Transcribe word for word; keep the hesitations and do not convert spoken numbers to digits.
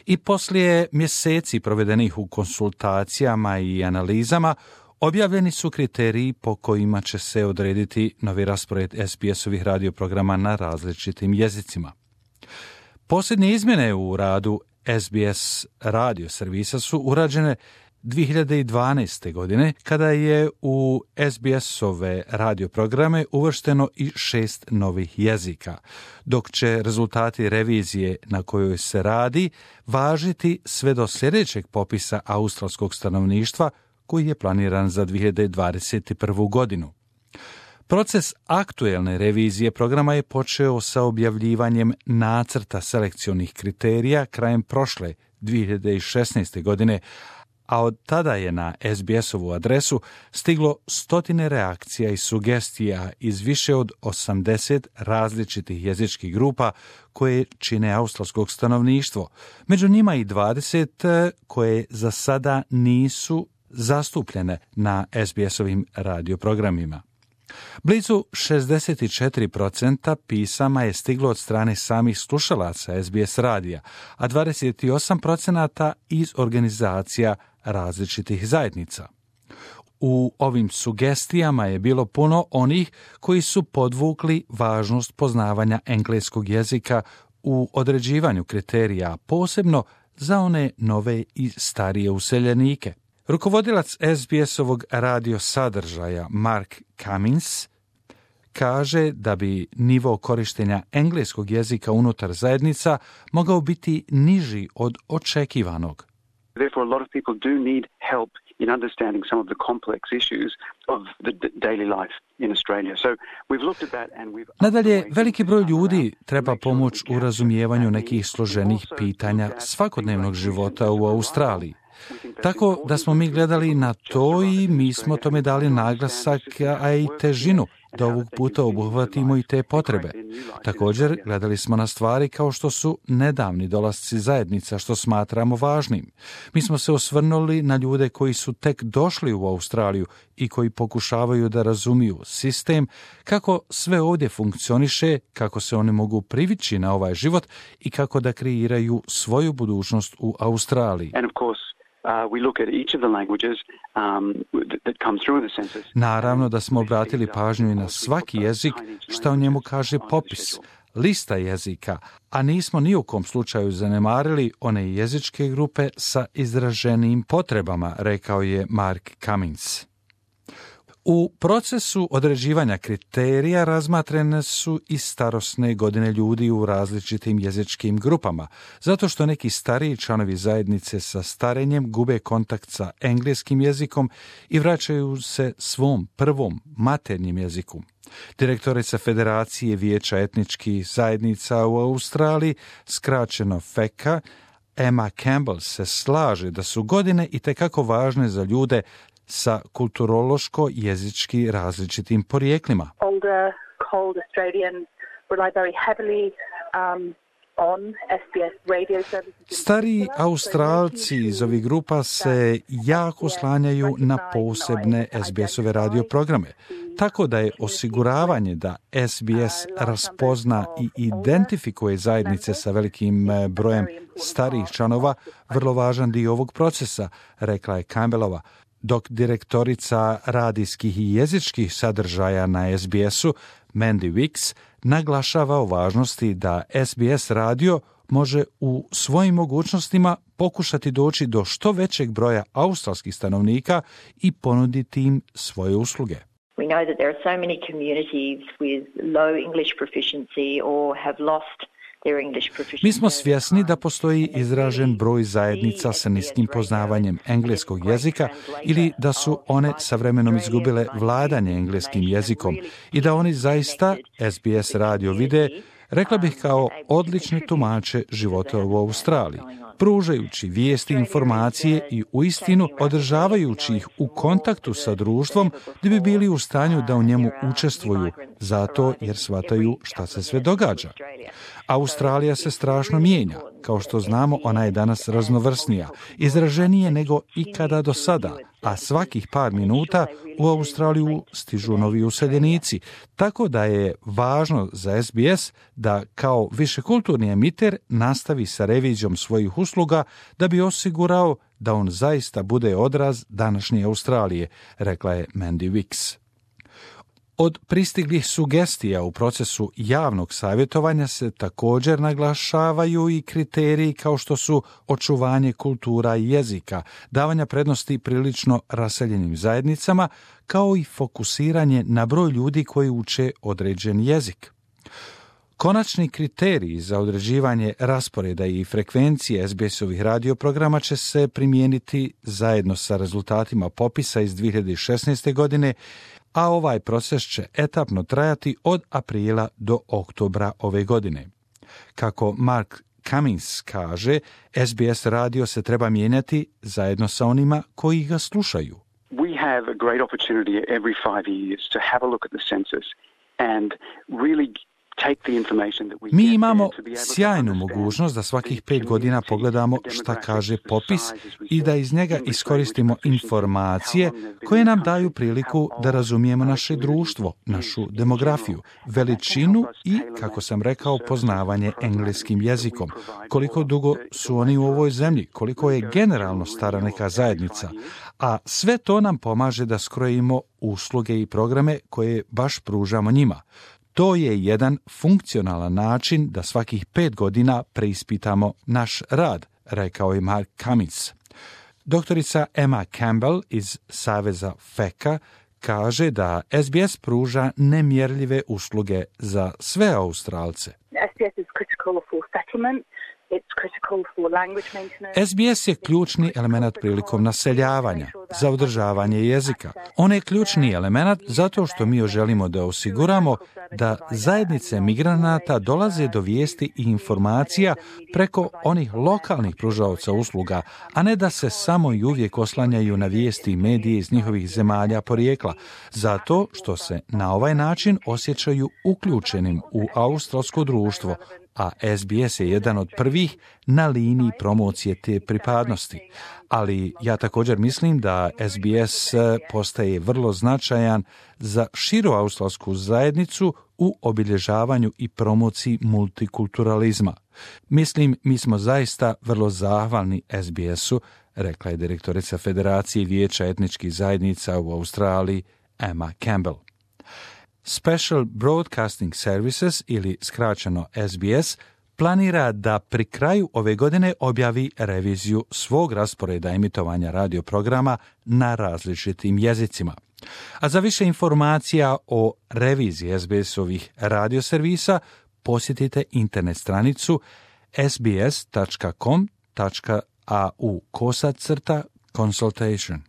I poslije mjeseci provedenih u konsultacijama i analizama, objavljeni su kriteriji po kojima će se odrediti novi raspored es be esovih radioprograma na različitim jezicima. Posljednje izmjene u radu es be es radio servisa su urađene dvije hiljade dvanaeste. godine, kada je u es be esove radioprograme uvršteno i šest novih jezika, dok će rezultati revizije na kojoj se radi važiti sve do sljedećeg popisa australskog stanovništva koji je planiran za dvije hiljade dvadeset prvu. godinu. Proces aktuelne revizije programa je počeo sa objavljivanjem nacrta selekcionih kriterija krajem prošle dvije hiljade šesnaeste. godine, a od tada je na es be esovu adresu stiglo stotine reakcija i sugestija iz više od osamdeset različitih jezičkih grupa koje čine australskog stanovništvo, među njima i dvadeset koje za sada nisu zastupljene na es be esovim radioprogramima. Blizu šezdeset četiri posto pisama je stiglo od strane samih slušalaca es be es radija, a dvadeset osam posto iz organizacija različitih zajednica. U ovim sugestijama je bilo puno onih koji su podvukli važnost poznavanja engleskog jezika u određivanju kriterija, posebno za one nove i starije useljenike. Rukovodilac es be esovog radio sadržaja Mark Cummins kaže da bi nivo korištenja engleskog jezika unutar zajednica mogao biti niži od očekivanog. Therefore, a lot of people do need help in understanding some of the complex issues of the daily life in Australia. So we've looked at that and we've... Nadalje, veliki broj ljudi treba pomoć u razumijevanju nekih složenih pitanja svakodnevnog života u Australiji. Tako da smo mi gledali na to i mi smo tome dali naglasak, a i težinu, da ovog puta obuhvatimo i te potrebe. Također, gledali smo na stvari kao što su nedavni dolasci zajednica, što smatramo važnim. Mi smo se osvrnuli na ljude koji su tek došli u Australiju i koji pokušavaju da razumiju sistem, kako sve ovdje funkcioniše, kako se oni mogu privići na ovaj život i kako da kreiraju svoju budućnost u Australiji. Uh, we look at each of the languages um, that come through the census. Naravno da smo obratili pažnju i na svaki jezik, što o njemu kaže popis, lista jezika, a nismo ni u kom slučaju zanemarili one jezičke grupe sa izraženijim potrebama, rekao je Mark Cummins. U procesu određivanja kriterija razmatrene su i starosne godine ljudi u različitim jezičkim grupama, zato što neki stariji članovi zajednice sa starenjem gube kontakt sa engleskim jezikom i vraćaju se svom prvom maternjem jeziku. Direktorica Federacije vijeća etničkih zajednica u Australiji, skraćeno F E C A, Emma Campbell se slaže da su godine itekako važne za ljude sa kulturološko-jezički različitim porijeklima. Older, cold Australians rely very heavily um, on es be es radio services. Stariji Australci iz ovih grupa se jako slanjaju na posebne es be esove radioprograme, tako da je osiguravanje da es be es raspozna i identifikuje zajednice sa velikim brojem starijih članova vrlo važan dio ovog procesa, rekla je Campbellova, dok direktorica radijskih i jezičkih sadržaja na es be esu, Mandy Wicks, naglašava o važnosti da es be es radio može u svojim mogućnostima pokušati doći do što većeg broja australskih stanovnika i ponuditi im svoje usluge. We know that there are so many communities with low English proficiency or have lost their English proficiency. Mi smo svjesni da postoji izražen broj zajednica sa niskim poznavanjem engleskog jezika ili da su one sa vremenom izgubile vladanje engleskim jezikom i da oni zaista es be es radio vide, rekla bih, kao odlične tumače života u Australiji, pružajući vijesti, informacije i uistinu održavajući ih u kontaktu sa društvom da bi bili u stanju da u njemu učestvuju, zato jer shvataju šta se sve događa. Australija se strašno mijenja. Kao što znamo, ona je danas raznovrsnija, izraženije nego ikada do sada, a svakih par minuta u Australiju stižu novi useljenici, tako da je važno za S B S da kao višekulturni emiter nastavi sa revizijom svojih usluga da bi osigurao da on zaista bude odraz današnje Australije, rekla je Mandy Wicks. Od pristiglih sugestija u procesu javnog savjetovanja se također naglašavaju i kriteriji kao što su očuvanje kultura i jezika, davanja prednosti prilično raseljenim zajednicama, kao i fokusiranje na broj ljudi koji uče određen jezik. Konačni kriteriji za određivanje rasporeda i frekvencije S B S-ovih radioprograma će se primijeniti zajedno sa rezultatima popisa iz dvije hiljade šesnaeste. godine, a ovaj proces će etapno trajati od aprila do oktobra ove godine. Kako Mark Cummins kaže, S B S radio se treba mijenjati zajedno sa onima koji ga slušaju. We have a great opportunity every five years to have a look at the census and really Mi imamo sjajnu mogućnost da svakih pet godina pogledamo šta kaže popis i da iz njega iskoristimo informacije koje nam daju priliku da razumijemo naše društvo, našu demografiju, veličinu i, kako sam rekao, poznavanje engleskim jezikom, koliko dugo su oni u ovoj zemlji, koliko je generalno stara neka zajednica, a sve to nam pomaže da skrojimo usluge i programe koje baš pružamo njima. To je jedan funkcionalan način da svakih pet godina preispitamo naš rad, rekao je Mark Cummins. Doktorica Emma Campbell iz Saveza F E C A kaže da S B S pruža nemjerljive usluge za sve Australce. S B S is critical for settlement. S B S je ključni element prilikom naseljavanja, za održavanje jezika. On je ključni element zato što mi želimo da osiguramo da zajednice migranata dolaze do vijesti i informacija preko onih lokalnih pružaoca usluga, a ne da se samo i uvijek oslanjaju na vijesti i medije iz njihovih zemalja porijekla, zato što se na ovaj način osjećaju uključenim u australsko društvo, a S B S je jedan od prvih na liniji promocije te pripadnosti. Ali ja također mislim da S B S postaje vrlo značajan za širu australsku zajednicu u obilježavanju i promociji multikulturalizma. Mislim, mi smo zaista vrlo zahvalni S B S-u, rekla je direktorica Federacije vijeća etničkih zajednica u Australiji, Emma Campbell. Special Broadcasting Services, ili skraćeno S B S, planira da pri kraju ove godine objavi reviziju svog rasporeda emitovanja radioprograma na različitim jezicima. A za više informacija o reviziji S B S-ovih radioservisa posjetite internet stranicu sbs tačka com tačka a u kosacrta consultation.